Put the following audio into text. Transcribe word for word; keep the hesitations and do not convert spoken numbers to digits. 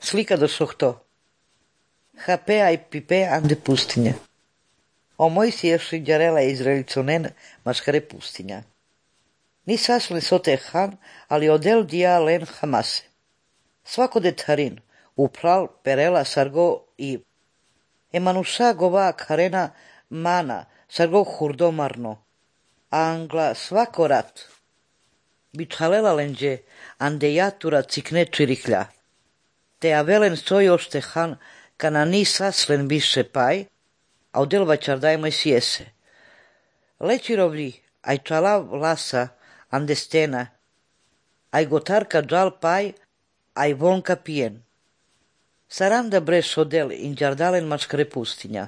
Slika do sohto. Hape ai pipe ande pustinja. O Moisies jarela Izraeliconen maskare pustinja. Ni saslen sote han, ali odel dia len hamase. Svako detharin, upral perela sargo i emanusa gova karena mana, sargo hurdomarno. Angla svako rat. Bithalela lenđe, ande jatura cikne čiriklja. Te avelen sojošte han, kana ni saslen više paj, a odel vačardajmoj sjese. Lečirovli, aj čala vlasa, ande stena, aj gotarka džal paj, aj vonka pijen. Saranda breš odel in đardalen mačkare pustinja.